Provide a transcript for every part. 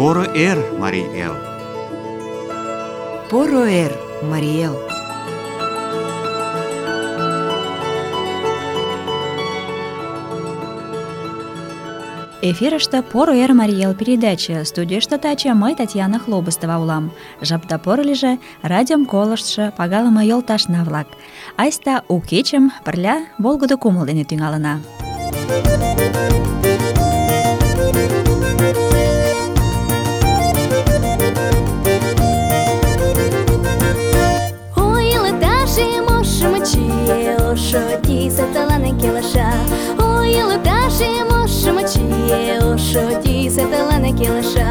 Поро эр, Марий эл! Поро эр, Марий эл! Эфирыште «Поро эр, Марий эл» передача. Студийыште таче мый, Татьяна Хлобыстова, улам. Жапда поро лийже, радиом колыштшо пагалыме йолташна-влак. Айста у кечым пырля волгыдо кумыл дене тӱҥалына. Ошо тисе тылане келша, ой, лыташе мошмо чие, ошо тисе тылане келша,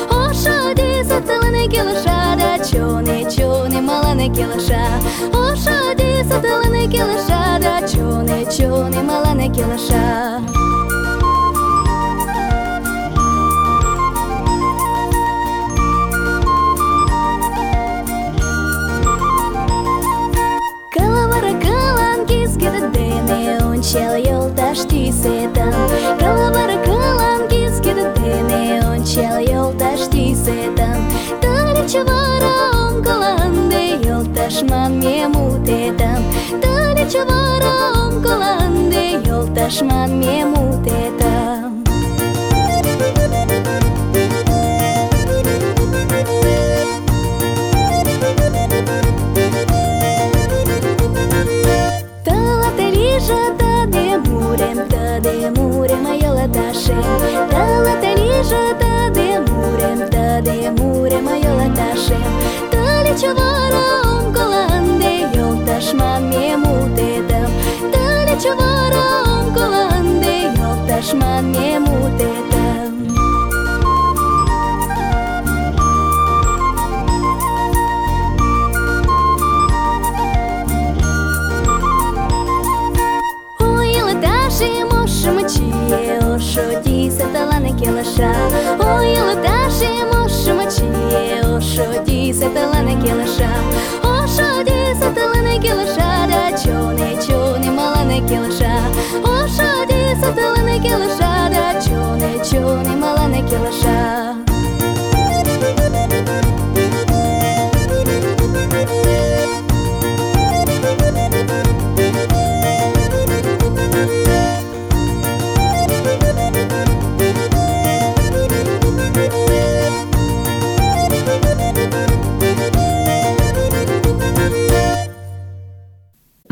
ошо тисе тылане келша, да чоне малане келша, ошо тисе тылане келша, да чоне малане келша. Ончал йолташ тӱсетым, кылвыр кылан кискет дене ончал йолташ тӱсетым. Тылеч вара оҥгыланде йолташ манме мутетым, тылеч вара оҥгыланде йолташ манме мутетым. Тăде мурем йолташем, тылате лийже тăде мурем йолташем. Тылеч вара оҥгыланде йолташ манме мутетым, тылеч вара оҥгыланде йолташ манме мутетым. Ошо тисе тылане келша, ой, лыташе мошмо чие, ошо тисе тылане келша, ошо тисе тылане келша, да чоне малане келша, ошо тисе тылане келша, да чоне малане келша.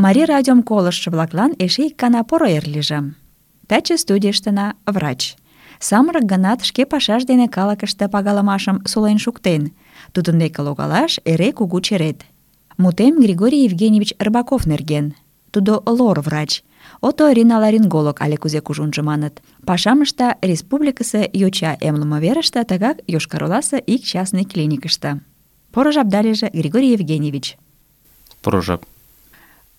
Марий радиом колыштшо-влаклан эше ик гана поро эр лийже. Таче студийыштына врач. Самырык гынат, шке пашаж дене калыкыште пагалымашым сулен шуктен. Тудын деке логалаш эре кугу черет. Мутем Григорий Евгеньевич Рыбаков нерген. Тудо лор врач. Оториноларинголог але кузе кужунжо маныт. Пашам ышта республикысе йоча эмлыме верыште, тыгак Йошкар-Оласе ик частный клиникыште. Поро жапда лийже, Григорий Евгеньевич. Поро жап.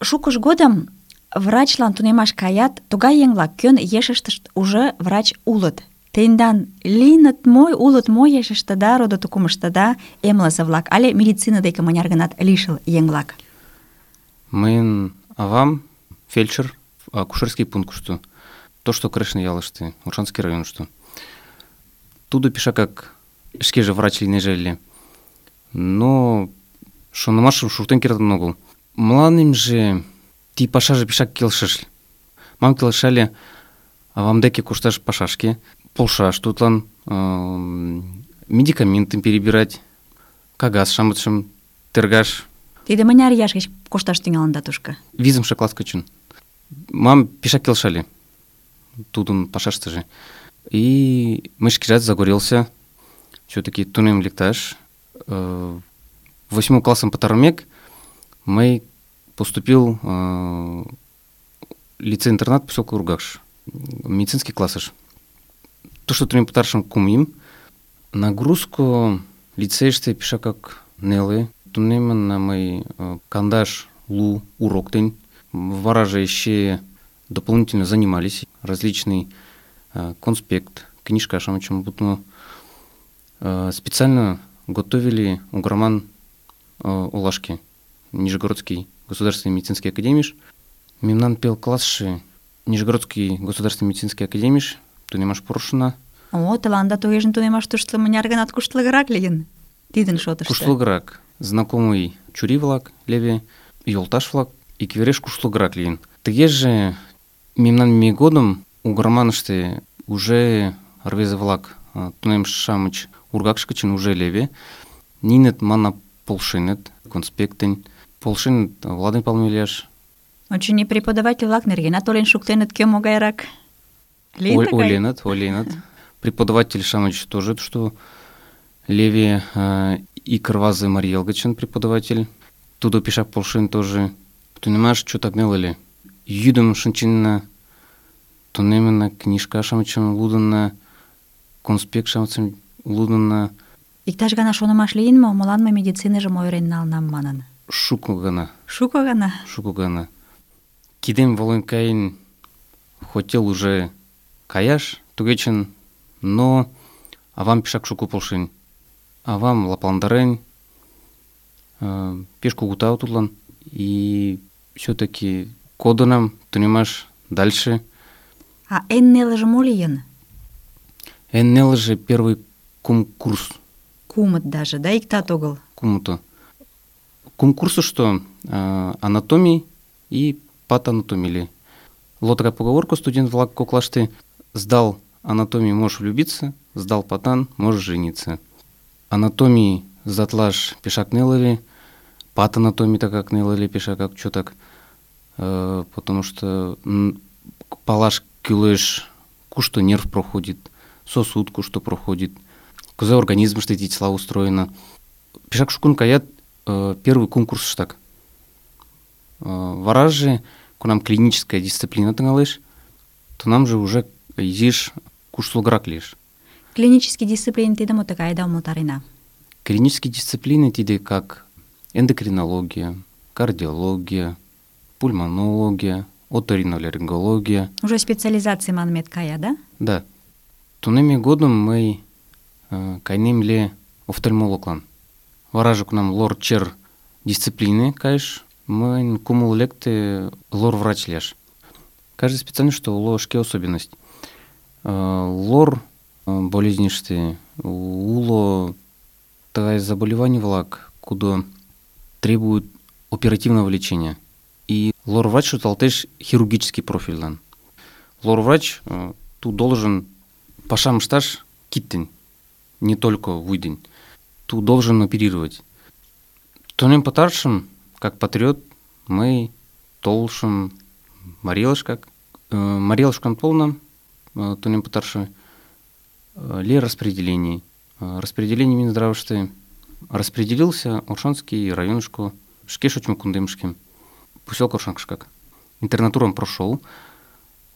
Шукыж годым врачлан тунемаш каят тугай еҥ-влак, кӧн ешыштышт уже врач улыт. Тендан лийыныт мо, улыт мо ешыштыда, родо-тукымыштыда эмлызе-влак але медицина деке мыняр гынат лишыл еҥ-влак? Мыйын авам фельдшер акушерский пунктышто, Тошто Крешын ялыште, Оршанский районышто. Тудо пешакак шкеже врач лийнеже ыле. Но шонымашым шуктен кертын огыл. Мыланемже ти пашаже пешак келшыш. Мам келшале авам деке кошташ пашашке, полшаш тудлан, медикаментым перебирать, кагаз-шамычым тергаш. Тиде мыняр ияш гыч кошташ тӱҥалында тушко? 5-шы класс гычын. Мам пешак келшале тудын пашаштыже. И мый шкежат загорелся, все-таки тунем лекташ. 8 классым пытарымек, мый поступил в лицей-интернат поселка Ургаш, медицинский классыш. То, что тунем пытаршым кумим, нагрузку лицейште пешакак нелы. Тунемын на мый кандаш лу урок день. Вараже еще дополнительно занимались. Различный конспект, книжка, шамычым бутну. Специально готовили угроман Улашки, Нижегородский государственный медицинский академиш. Мемнан пел классши Нижегородский государственный медицинский академиш, тунемаш порошина, О, тыланда тугеже тунемаш тушто мыняр ганат куштылгырак лийын тидын шотышто. Куштылгырак. Знакомый чурий-влак, леве, йолташ-влак иквереш куштылгырак лийын. Тыгеже мемнан ме годым угырманыште уже рвезе-влак, тунемше-шамыч ургакыш гычын уже леве. Ниnet мана полшеныт, конспектен. Полшеныт Владимир Павлович лияш. Очыни, преподаватель-влак нергенат ойлен шуктеныт, кӧ могайрак. Лийын тыгай? Ойленыт. Преподаватель-шамыч тоже, что леве и Кырвазы Мариел гычын преподаватель. Тудо пешак полшен тоже. Тунемаш чо так нелыле. Йӱдым шинченна, тунемына, книжка-шамычым лудынна, конспект-шамычым лудынна. Иктаж гана шонымаш лийын мо, молан мый медициныжым ойырен налынам манын? Шуко гана. Шуко гана? Кидем волен каен хотел уже каяш, тугечын, но авам пешак шуко полшен. Авам лапландарен, пеш кугута тудлан, и все-таки кодынам тунемаш дальше. А эн нелыже мо лийын? Эн нелыже первый курс. Кумыт даже, да, иктат огыл? Кумыто. Курсу, что анатомии и патанатомии. Лотка поговорку студент-влак коклашты: сдал анатомии, можешь влюбиться, сдал патан, можешь жениться. Анатомии затлаш пешак нелыли, патанатомии так как нелыли пешак как чё так, потому что палаш кюлеш, кушто нерв проходит, сосуд кушто проходит, кузе организм что эти тела устроено. Пешак шукун каят первый конкурс штак. Вараж же, нам клиническая дисциплина тыңалеш, то нам же уже изиш куштылгырак лиеш. Клинический дисциплин тиде мо такая умылтарена? Клинические дисциплины тиде как эндокринология, кардиология, пульмонология, оториноларингология. Уже специализация манмет кая, да? Да. Тунеми годом мы кайнем ле офтальмологлан. Варажок нам лор-чер дисциплины, каеш, мы кумул лекты лор-врач леш. Каждый специальность, что ложке особенность. Лор болезништы, уло такое заболевание влак, куда требует оперативного лечения. И лор-врач что талтеш хирургический профиль. Лор-врач тут должен пашам шташ киттен, не только выйдень. Тут должен оперировать. Тунем потаршим, как патриот, мы толшим Марилышкак. Марилышкам полном, тунем потаршим, ли распределение. Распределение Минздрава, что распределился Оршанский районышко, шкешучим кундымшким, поселок Оршанкшкак. Интернатуром прошел,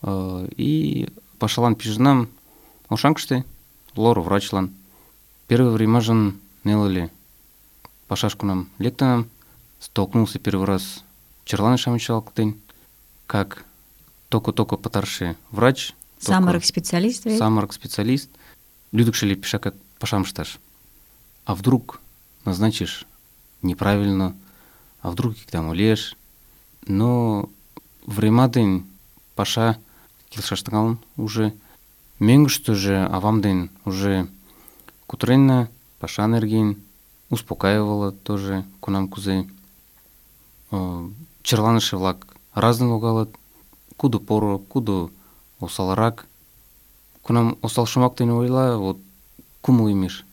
и пошалан пижнам Оршанкшты, лору врачлан. Первое время жен нелали пашашку нам лектанам, столкнулся первый раз Черлан Шамичалктын, как только потарше врач. Саморок-специалист. Саморок-специалист. Людокшили пиша как пашамшташ. А вдруг назначишь неправильно, а вдруг их там улешь. Но время день паша килшаштаган уже. Менг что же, а вам день уже кутренна, паша энергин, успокаивала тоже кунам кузей. Черланыши влак разный логалат, куду поро, куду осаларак. Кунам осал шумак ты не ойла, вот куму имеш.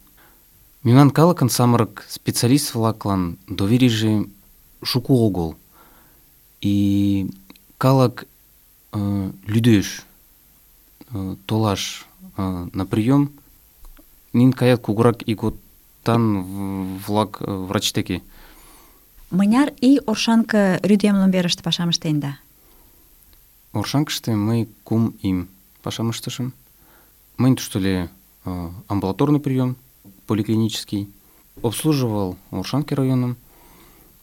Миман калакан самарак специалист влаклан доверижи шуку огол. И калак людеш толаш на прием, нин каят кугурак и год тан влак врачтеки. Мыняр и Оршанка рюдемлым верышты пашам ыштен да? Оршанкышты мы кум им пашам ыштышым. Мы что ли амбулаторный прием, поликлинический. Обслуживал Оршанки районом.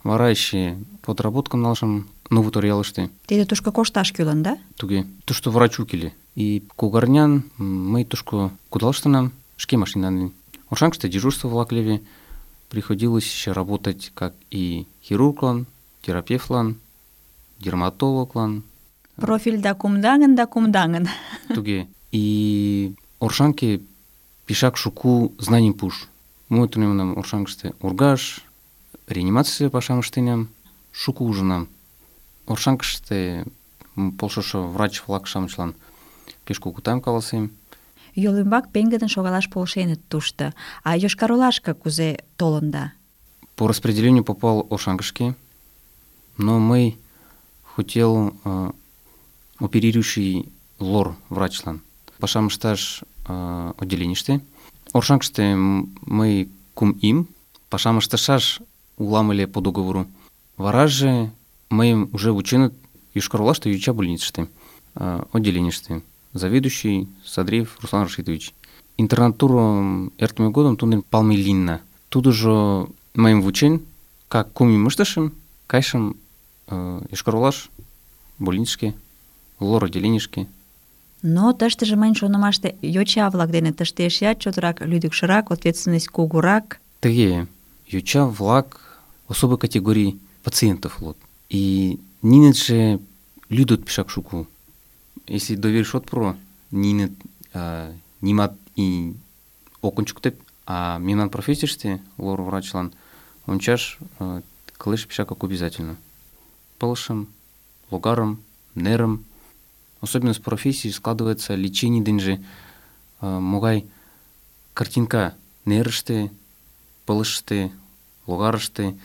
Варайши подработкам налшам новый ториалышты. Тиде тушко кошташ кюлын, да? Туге. То, что врачу кили. И кугарнян мы тушко кудалышты нам шки машинаны. Оршанкышты дежурство в Лаклеве. Приходилось еще работать как и хирурглан, терапевтлан, дерматологлан. Профиль да кумдангын. Туге. И Оршанки пешак шуку знаний пуш. Мой тунемнам Оршанкыште ургаш, реанимация пашам ыштенам, шуку ужынам. Оршанкыште полшышо врач-влак-шамычлан пеш кугу таум каласем. Йол ӱмбак пеҥгыдын шогалаш полшеныт тушто. А Йошкар-Олашке кузе толында? По распределению попал Оршанкышке, но мый хотел оперирующий лор врачлан. Пашам ышташ отделенийыште. Оршанкыште мый кум им, пашам ыштышаш улам ыле по договору. Вараже мыйым уже вученыт Йошкар-Олаште йоча больницыште, отделенийыште. Заведующий Садриев Руслан Рашидович. Интернатуру эртме годым тудын палме лийынна. Тудыжо мыйым вучен, как кум им ыштышым, кайышым Йошкар-Олаш больницышке, лор отделенийышке. Но тыштыже мыйын шонымаште йоча-влак дене тыште эшеат чотрак лӱдыкшырак, ответственность кугурак. Тыге, йоча-влак особой категории пациентов улыт. И нинетше лӱдыт пешак шуку. Если доверишь отпро, нинет нимат и окончуктеп, а мемнан профессияште лор врачлан ончаш кылеш пешак как обязательно. Пылышым, логарым, нерым. Особенность профессии складывается лечение деньжи, могай картинка нерыште, пылыште, логарыште.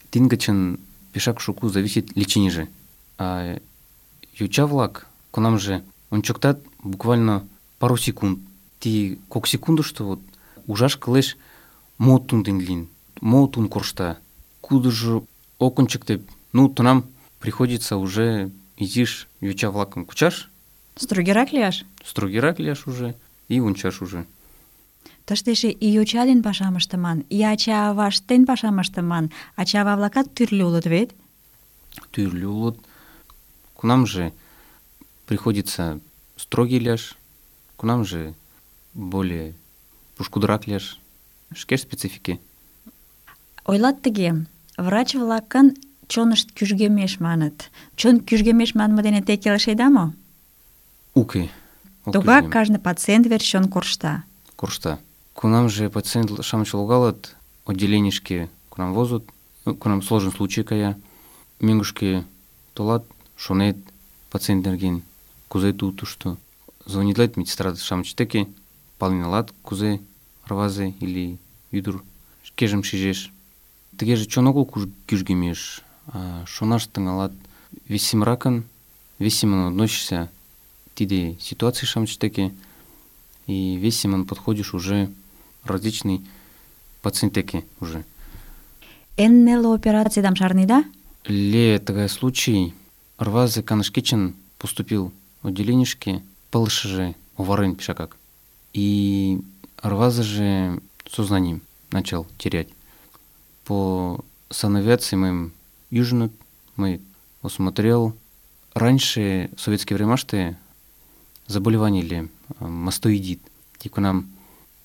Тингачен пешак шуку зависит лечение же. А йоча-влак кунам же ончоктат буквально пару секунд. Ти кок секунду, что вот ужаш кылеш мо тундин лин, мо тун коршта. Куда же окончиктеп, ну тунам приходится уже изиш йоча-влакым кучаш. Строгирак лияш? Строгирак лияш уже и ончаш уже. Тыште эше и йоча ден пашам ыштыман, и ача-авашт ден пашам ыштыман. Ача-ава-влакат тӱрлӧ улыт вет? Тӱрлӧ улыт. Кунам же приходится строгий лияш, кунам же более пушкудырак лияш. Шке специфике. Ойлат тыге, врач-влакын чонышт кӱжгемеш маныт. Чон кӱжгемеш манме дене те келшеда мо? Уке. Тугак кажне пациент верч чон коршта. Коршта. Кунам же пациент-шамыч логалат, отделенийышке кунам возут, кунам сложен случай кая, мӧҥгышке толат, шонет пациент нерген, кузе тутушто. Звонитлет медсестра-шамыч деке, пален налат, кузе рвазе или ӱдыр шкежым шижеш. Тыгеже чон огыл кӱжгемеш, а шонаш тӱҥалат. Весемракын относишься тиде ситуаций-шамыч деке, и весемын подходишь уже различный пациент деке уже. Эн неле операциядам шарнеда? Ле тыгай случай, рвазе канышкечен поступил в отделенийышке, пылышы же оварен пешакак. И рвазе же сознанием начал терять. По санавиации моим южнут, мы осмотрел. Раньше, в советские времена, заболевание ли мастоидит. Тико нам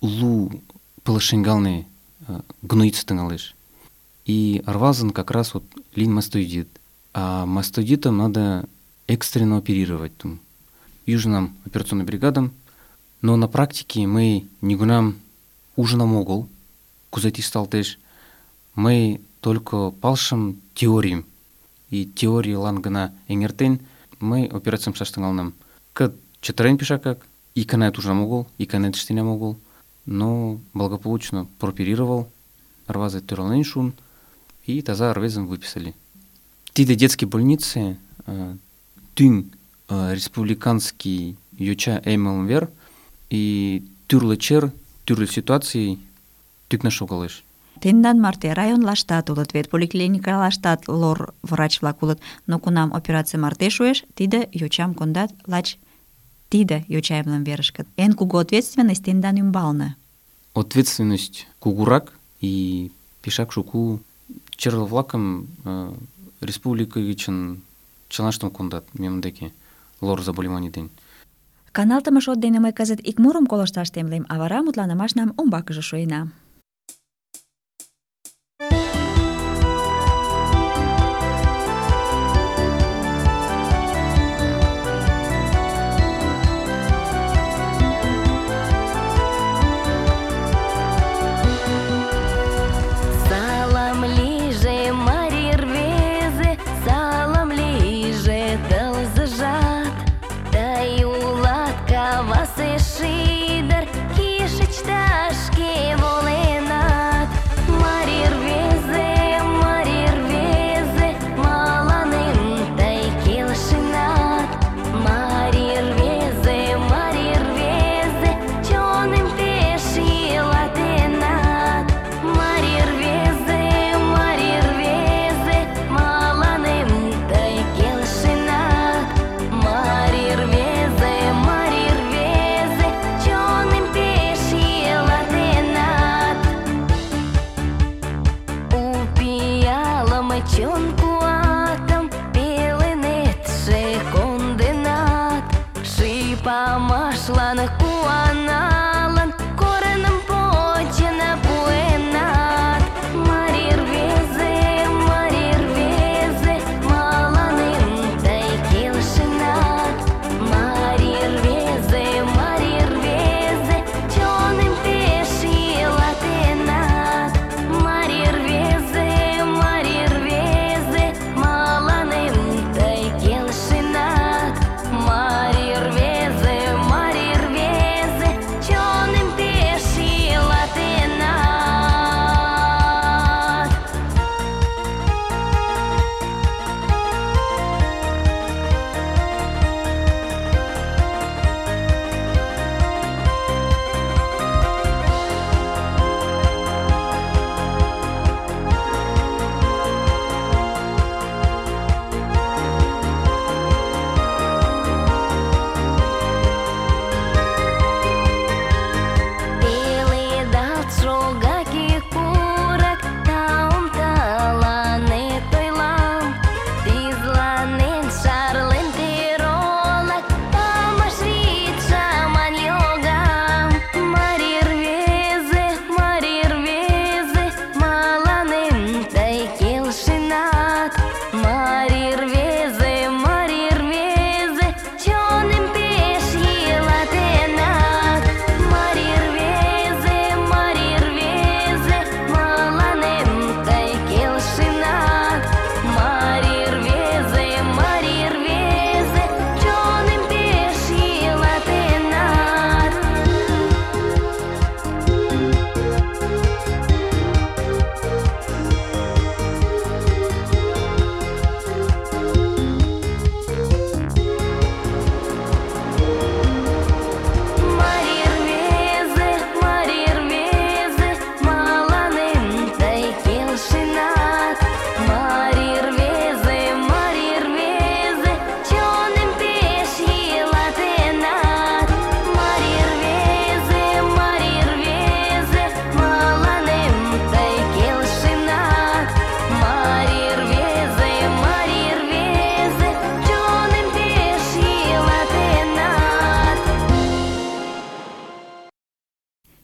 лу пылышенгалны гноиться тыңалыш. И арвазан как раз вот лин мастоидит. А мастоидитом надо экстренно оперировать. Южным операционным бригадам. Но на практике мы не гунам ужинам огол, кузати стал теж. Мы только палшим теориям. И теории лангана энгертен мы операциям саштангалнам. Кът четырен пешакак, и канает уже могол, и канает что не могол. Но благополучно прооперировал, рвазы тюрален шун, и таза рвезом выписали. Тиде детские больницы, тюн республиканский йоча МЛВР и тюрлечер, тюрле ситуации тюк нашел галыш. Тендан марте районлаштат улыт вет, поликлиникалаштат лор врач-влак улыт, но кунам операция марте шуэш, тиде йочам кондат лач тиде йоча МЛВРышкат. Эн кугу ответственность тендан ӱмбалне. Ответственность кугурак и пешак шуку черло-влакым республика гычын чылаштым кондат мемдеке лор заболеваний ден. Каналтыме шот дене мый кызыт ик мурым колышташ темлем, а вара мутланымашнам умбакыже шуена. Куанык куаналын, корным почына пуэнат. Марий рвезе, мыланем тый келшенат. Марий рвезе, чоным пеш йӱлатенат. Марий рвезе, мыланем тый келшенат. Марий рвезе, чоным пеш йӱлатенат. Пеледалт шогаки курык, таум тыланет ойлам. Тӱзланен шарлен тӧролак, памаш вӱд шаман йогам. Марий рвезе, мыланем тый келшенат. Марий рвезе, чоным пеш йӱлатенат. Марий рвезе, мыланем тый келшенат. Марий рвезе, чоным пеш йӱлатенат. Марий рвезе, мыланем тый келшенат. Марий рвезе, чоным пеш йӱлатенат. Марий рвезе, мыланем тый келшенат. Марий рвезе, чоным пеш йӱлатенат.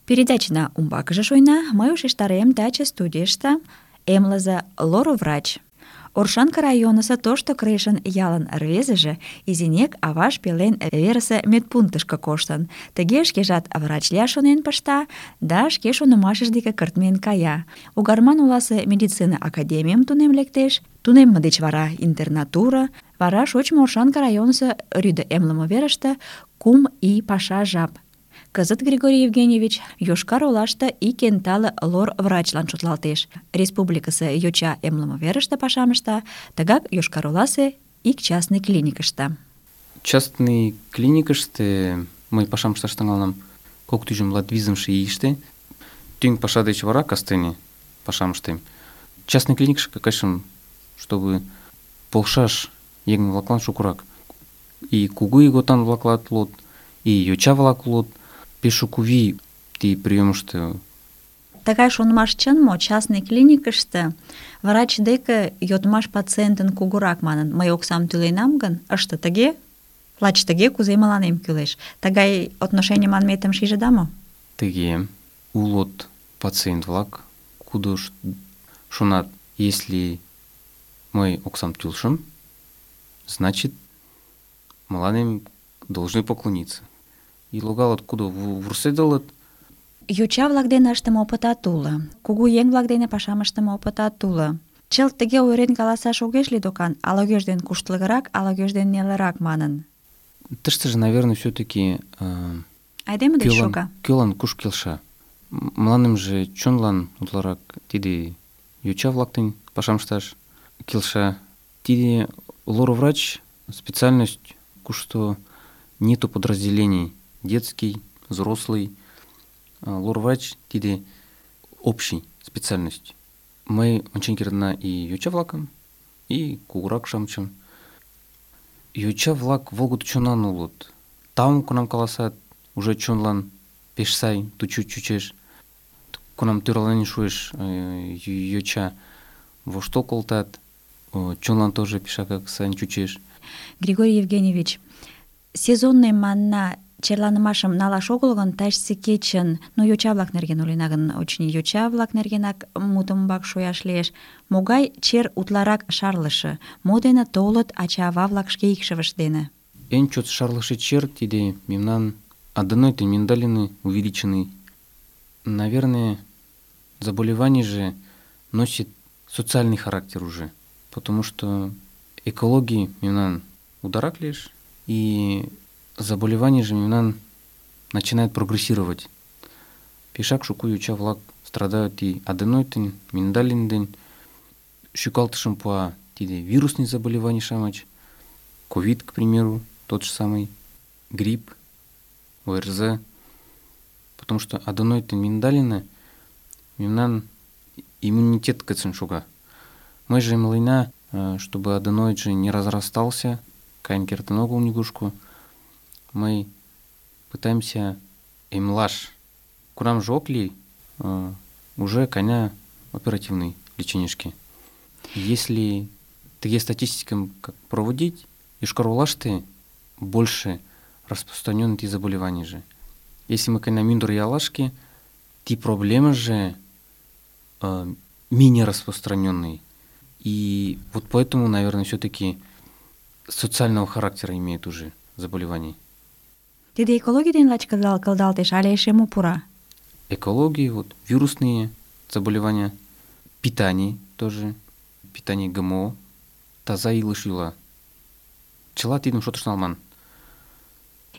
Передачна умбакыже шуйна, мый ушештарем таче студийыште эмлызе лороврач. Оршанка районысо Тошто Крешын ялын рвезыже изинек аваж пелен верысе медпунктышко коштын. Тыге шкежат врач лияш шонен пышта да шке шонымашыж деке кыртмен кая. Угарман оласе медицина академийым тунем лектеш, тунемме деч вара интернатура, вара шочмо Оршанка районысо рӱдӧ эмлыме верыште 3 ий паша жап. Кызыт Григорий Евгеньевич Йошкар-Олаште ик эн тале лор врачлан шотлалтеш. Республикысе йоча эмлыме верыште пашам ышта, тыгак Йошкар-Оласе ик частный клиникыште. Частный клиникыште мый пашам ышташ тӱҥалынам 2025 ийыште. Тӱҥ паша деч вара кастене пашам ыштем. Частный клиникышке кайышым, чтобы полшаш еҥ-влаклан шукырак. И кугу ийготан-влаклат улыт, и йоча-влак улыт. Пеш шуко вий тиде приёмышто. Тыгай шонымаш чын мо? Частный клиникыште врач деке йодмаш пациентын кугурак манын, мый оксам тӱленам гын, ыште тыге, лач тыге, кузе мыланем кӱлеш. Тыгай отношений манметым шижыда мо? Тыге улыт пациент-влак, кудо шонат, если мый оксам тӱлышым, значит, мыланем должны поклониться. И логалыт, кудо вурседылыт. Йоча-влак дене ыштыме опытат уло, кугу еҥ-влак дене пашам ыштыме опытат уло. Чылт тыге ойырен каласаш огеш лий докан, ала-кӧж ден куштылгырак, ала-кӧж ден нелырак манын. Тыштыже, наверное, все-таки Айдеме деч шога. Кӧлан куш келша. Мыланемже чонлан утларак тиде йоча-влак дене пашам ышташ келша. Тиде лороврач специальность, кушто нету подразделений. Детский, взрослый. Лороврач тиде общий специальность. Мый ончен кертна и йоча-влакым, и кугурак-шамычым. Йоча-влак волгыдо чонан улыт. Таум кунам каласат, уже чонлан пеш сай чучеш. Кунам тӧрланен шуэш йоча, воштыл колтат, чонлан тоже пешакак сайын чучеш. Григорий Евгеньевич, сезонный манна черланымашым налаш огыл гын, тачысе кечын, йоча-влак нерген ойлена гын, очыни, йоча-влак нергенак мутым умбак шуяш лиеш. Могай чер утларак шарлыше? Мо дене толыт ача-ава-влак шке икшывышт дене? Эн чот шарлыше чер тиде мемнан аденоид миндалины увеличенный. Наверное, заболевание же носит социальный характер уже, потому что экологии мемнан ударак лишь, и заболевание же мемнан начинает прогрессировать. Пешак шуку йоча-влак страдают и аденоидтен, миндалинден, шукалтышым пуа тиде вирусный заболевание шамач, ковид, к примеру, тот же самый, грипп, ОРЗ, потому что аденоидтен миндалина мемнан иммунитет кыцын шуга. Мы же млына, чтобы аденоид же не разрастался, кайн кертен огыл нигушку, мы пытаемся эмлаш. Курам же окли уже коня оперативной леченишки. Если такие статистики как проводить, Йошкар-Олаште больше распространены эти заболевания же. Если мы коня миндур и алашки, те проблемы же менее распространенные. И вот поэтому, наверное, все-таки социального характера имеет уже заболевание. Тиде экологий ден лач кылдалтеш, але эше мо пура? Экологии, вот вирусные заболевания, питание тоже, питание ГМО, таза илыш йӱла. Чыла тидым шотыш налман.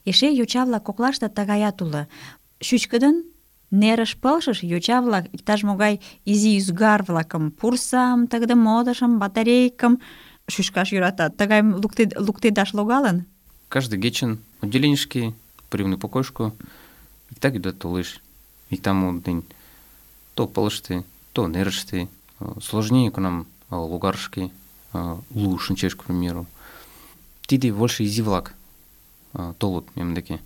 Эше йоча-влак коклаште тыгаят уло. Чӱчкыдын нерыш пылшыш йоча-влак иктаж-могай изи ӱзгар-влакым, пурсам, тыгыде модышым, батарейкым шӱшкаш йӧратат. Тыгайым луктедаш логалын? Каждый кечын отделенишке, приемный покойшко, иктак ӱдат толеш. Иктаму ден то пылыште, то нерыште, сложнее кунам логарышке, лу шинчеш, к примеру. Тиде больше изи-влак толыт мем деке.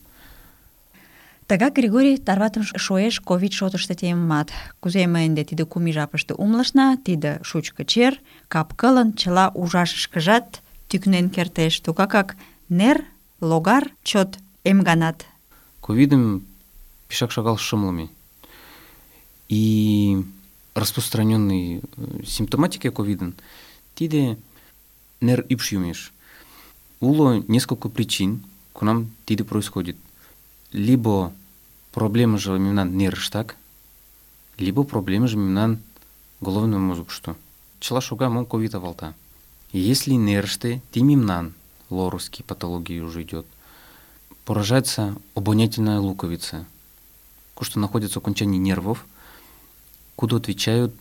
Тыгак Григорий тарватым шуэш ковид шотышто темымат. Кузе ме ынде тиде кум ий жапыште умылышна, тиде шучко чер, кап-кылын чыла ужашышкыжат тӱкнен кертеш. Тугакак нер, логар чот эмганат. Ковидым пешак шагал шымлыме. И распространенный симптоматика ковидын тиде нер ӱпш йӱмеш. Уло несколько причин, кунам тиде происходит. Либо проблема же мемнан нерыштак, либо проблема же мемнан головном мозгышто. Чыла шога мом ковид авалта. Если нерыште ти мемнан лорусский патологии уже идет, поражается обонятельная луковица, что находится в окончании нервов, куда отвечают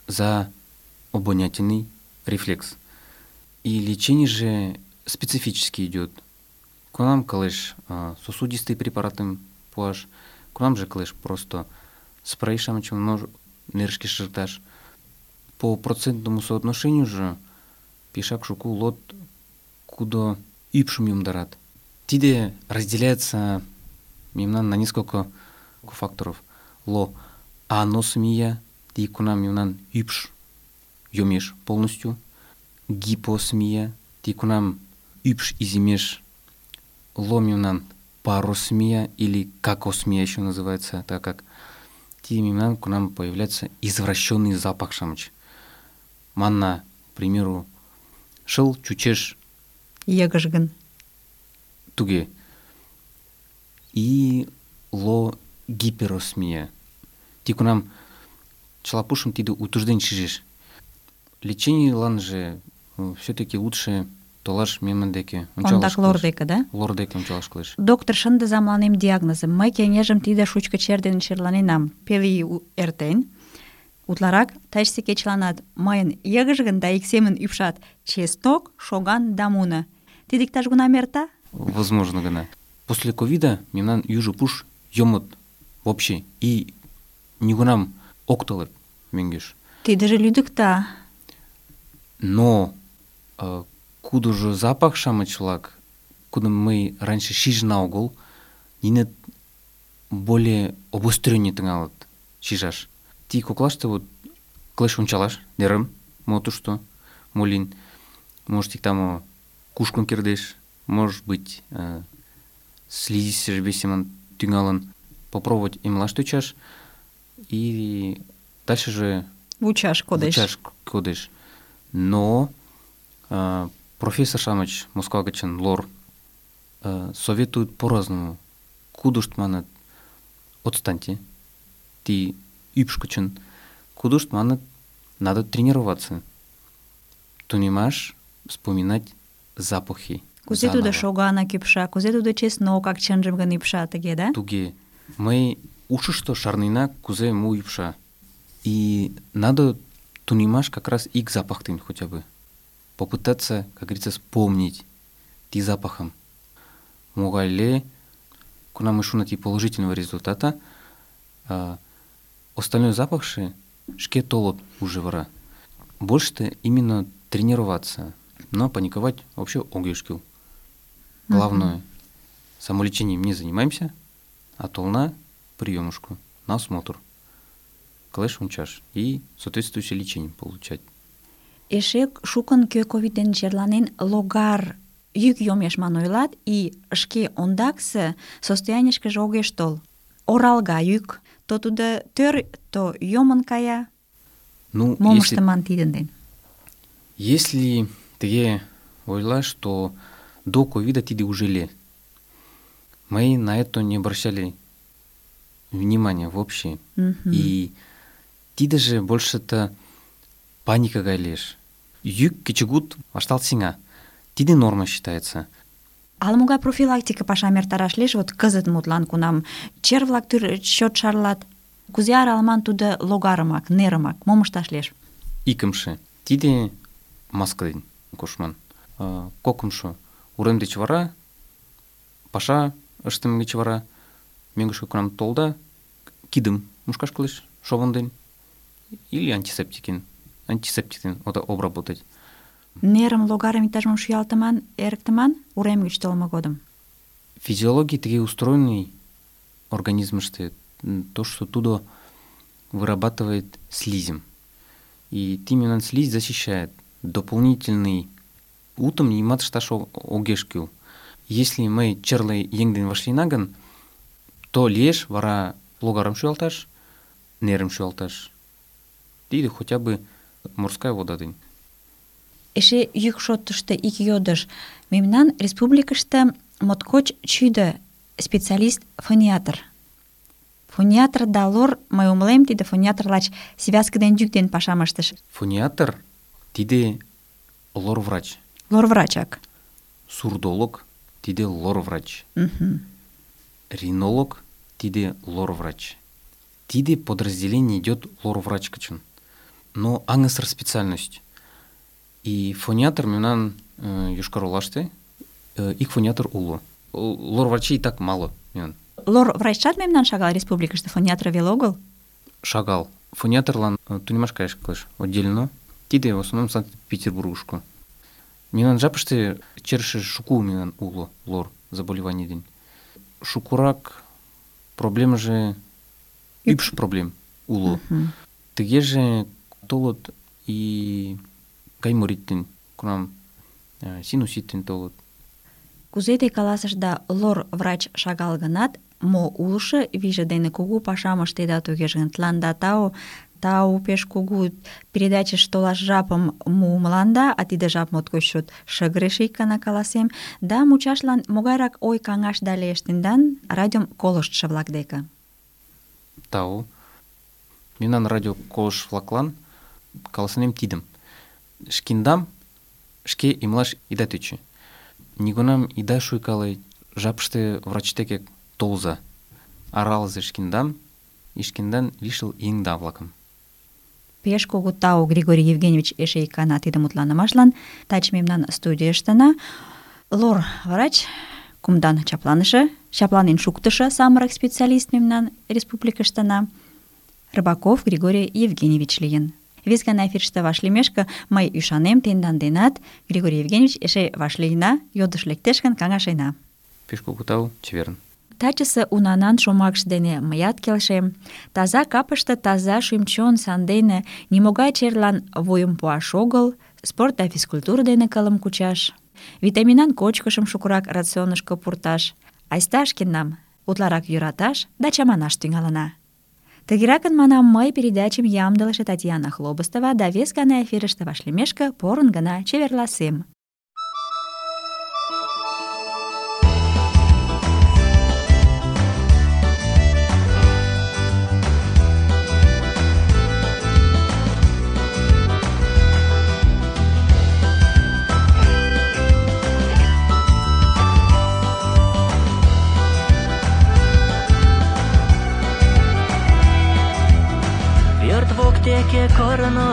за обонятельный рефлекс. И лечение же специфически идет. К нам калеш сосудистые препараты пуаш, к нам же калеш просто спрей шамачем нерышки шерташ. По процентному соотношению же пешак шуку лот куда ӱпшым йомдарат. Тиде разделяется мемнан на несколько факторов. Ло аносмия, ти кунам мемнан ӱпш йомеш полностью. Гипосмия, ти кунам ӱпш изимеш. Ло мемнан паросмия или какосмия еще называется, так как ти мемнан кунам появляется извращенный запах шамыч. Манна, к примеру, шыл чучеш Йыгыжгын. туге. И ло гиперосмия. Ти кунам чылапушым тиде утужден шижеш. Лечение лан же все-таки лучше толаш мемнан деке. Ондак лор деке, да? Лор деке ончалаш кылеш. Доктор шындыза мыланем диагнозым. Мый кеҥежым тиде шучко чер дене черланенам. Пел ий эртен. Утларак тачысе кечыланат мыйын йыгыжгын да ик семын ӱпшат чеснок, шоган да муно. Тиде иктаж-кунам эрта? Возможно гына. После ковида мемнан южо пуш йомыт вообще и нигунам ок толеп мӧҥгеш. Тидыже лӱдыкта. Но кудыжо запах шамыч-влак, кудым мый раньше шижына огыл, нине более обострённый тӱҥалыт шижаш. Ти коклаште вот кылеш ончалаш нерым, мо тушто, мо лийын. Может, иктамо кушкын кердеш, может быть, слизистыже весемын тӱҥалын, попробовать эмлаш тӧчаш и дальше же Вучаш кодеш. вучаш кодеш. Но профессор-шамыч Москва гычын лор советуют по-разному. Кудышт манат, отстаньте, ти ӱпш гычын. Кудышт манат, надо тренироваться. Тунемаш, вспоминать запахи. Кузе заново. тудо шоганак ӱпша, кузе тудо чеснокак чынжым гын ӱпша, тыге, да? Туге. Мый ушышто шарнена, кузе му ӱпша. И надо тунемаш как раз ик запахтым хотя бы. Попытаться, как говорится, вспомнить ти запахом. Могай ле, кунам шуна ти положительного результата, остальной запахши шке толот уже вара. Больше-то именно тренироваться. Но паниковать вообще огеш кил. Главное, самолечением не занимаемся, а толна приемушку на осмотр. Клэш унчаш и соответствующее лечение получать. Эше шукын кӧ ковид дене черланен логар йӱк йомеш манын ойлат, и шке ондаксе состоянийышкыже огеш тол. Оралга йӱк, то тудо тӧр, то йомын кая. Ну, Мом если, ыштыман тидын ден? если тыге ойлаш, то до ковида тиде уже ле. Мы на это не обращали внимания вообще. И тиде же больше-то паника галеш. Йӱк кечыгут вашталт сеҥа. Тиде норма считается. Ала-могай профилактика пашам эртараш лиеш, вот кызыт мутлан кунам чер-влак чот шарлат. Кузе аралыман тудо логарымак, нерымак, мом ышташ лиеш? Икымше. Тиде маска ден коштман. Кокымшо. Урем деч вара, паша ыштыме гыч вара, мӧҥгышкӧ кунам толда, кидым мушкаш кӱлеш шовын ден или антисептик ден обработать. Нерым, логарым иктаж-мом шуялтыман, эрыктыман урем гыч толмо годым. Физиология тыге устроенный организмыште, то, что тудо вырабатывает слизем. И именно слизь защищает. Дополнительный утым нимат ышташ огеш кӱл. Если мый черле еҥ ден вашлийына гын, то лиеш вара логарым шуялташ, нерым шуялташ. Тиде хотя бы морская вода ден. Эше йӱк шотышто ик йодыш. Мемнан республикыште моткоч чӱдӧ специалист фониатр. Фониатр да лор, мый умылем, тиде фониатр лач связка ден йӱк ден пашам ыштыш. Фониатр тиде лор-врач. Лор-врачак. Сурдолог тиде лор-врач. Ринолог тиде лор-врач. Тиде подразделение идет лор-врач кычын. Но аңысыр специальность. И фониатр мемнан Йошкар-Олаште ик фониатр уло. Лор-врачей и так мало. Лор-врачат мемнан шагал республикыште, фониатр веле огыл? Шагал. Фониатрлан тунемаш каяш кӱлеш отдельно. Тиде в основном Санкт-Петербургышко. Мемнан жапыште черше шуку мемнан уло лор заболеваний ден. Шукурак проблема же ӱпш проблем уло. Тыге же толот и гайморит ден, кунам синусит ден толот. Кузе те каласышда, лор-врач шагал гынат, мо улшо вийже дене кугу пашам ыштеда тугеже гын, тланда тау пеш кугу передачыш толаш жапым муымыланда, а тиде жап моткоч чот шыгыре ик гана каласем, да мучашлан могайрак ой каҥашда лиеш тендан радиом колыштшо-влак деке? Тау. Мемнан радио колыштшо-влаклан каласынем тидым. Шкендам шке эмлаш ида тӧчӧ. Нигунам ида шуйкале, жапыште врач деке толза. Аралыза шкендам и шкендан лишыл еҥда-влакым. Пеш кугу тау, Григорий Евгеньевич, эше ик гана тиде мутланымашлан. Таче мемнан студийыштына лор-врач, кумдан чапланен шуктышо самырык специалист мемнан республикыштына Рыбаков Григорий Евгеньевич лийын. Вес гана эфирыште вашлиймешке мый ӱшанем тендан денат, Григорий Евгеньевич, эше вашлийына, йодыш лектеш гын, каҥашена. Пеш кугу тау, чеверын. Тачысе унанан шомакше дене мыят келшем. Таза капыште таза шӱм-чон сандене нимогай черлан вуйым пуаш огыл, спорт да физкультура дене кылым кучаш, витаминан кочкышым шукырак рационышко пурташ, Айста шкеннам утларак йӧраташ да чаманаш тӱҥалына. Тыгеракын, манам, мый передачым ямдылыше Татьяна Хлобыстова да вес гана эфирыште вашлиймешке порын гына чеверласем. Воктеке корно,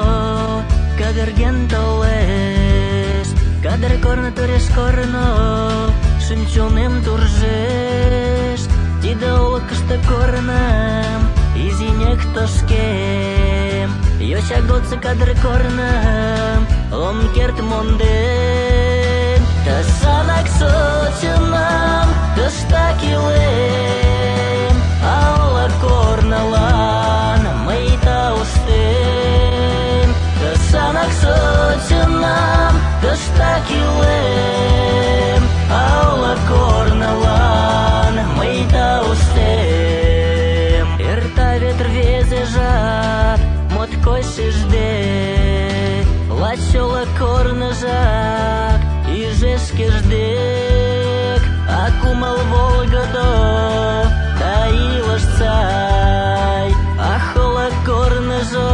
кадырген толеш, кадыр корно туреш корно, шӱм-чонем туржеш. Тиде олыкышто корным, изинек тошкем, йоча годсо кадыр корным, ом керт монден. Тышанак шочынам, тыштак илем, ала корнылан мый тауштем. Тышанак шочынам, тыштак илем, ала корнылан мый тауштем. Эрта вет рвезе жап, моткоч шижде, лач ола корныжак иже шкеж-дек, а кумыл волгыдо да илыш сай, ах, ола корныжо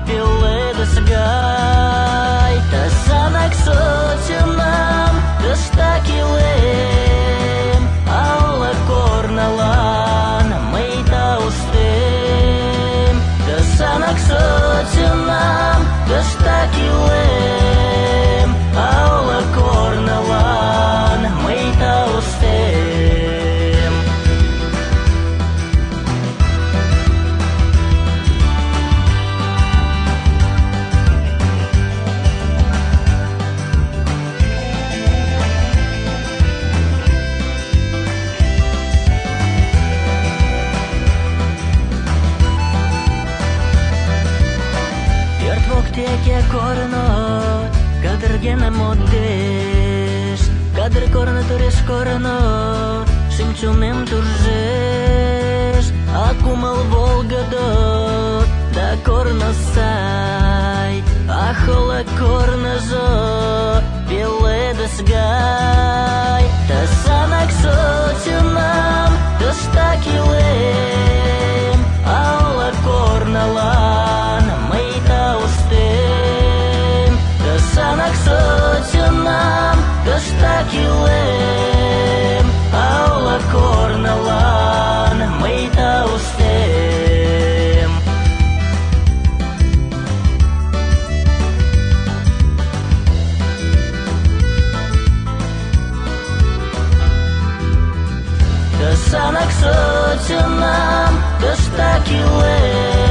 пеледыш гай. Тышанак шочынам, тыштак илем, ала корнылан мый тауштем. Тышанак шочынам, тыштак илем, ала корнылан мый тауштем. Пӧрт воктеке корно, кадырген модеш, кадыр корно туреш корно, шӱм-чонем туржеш. А кумыл волгыдо да корно сай, ах, ола корныжо пеледыш гай. Тышанак шочынам, тыштак илем, ала корнылан мый тауштем. Тышанак шочынам, тыштак илем, ала корнылан мый тауштем. Тышанак шочынам, тыштак илем,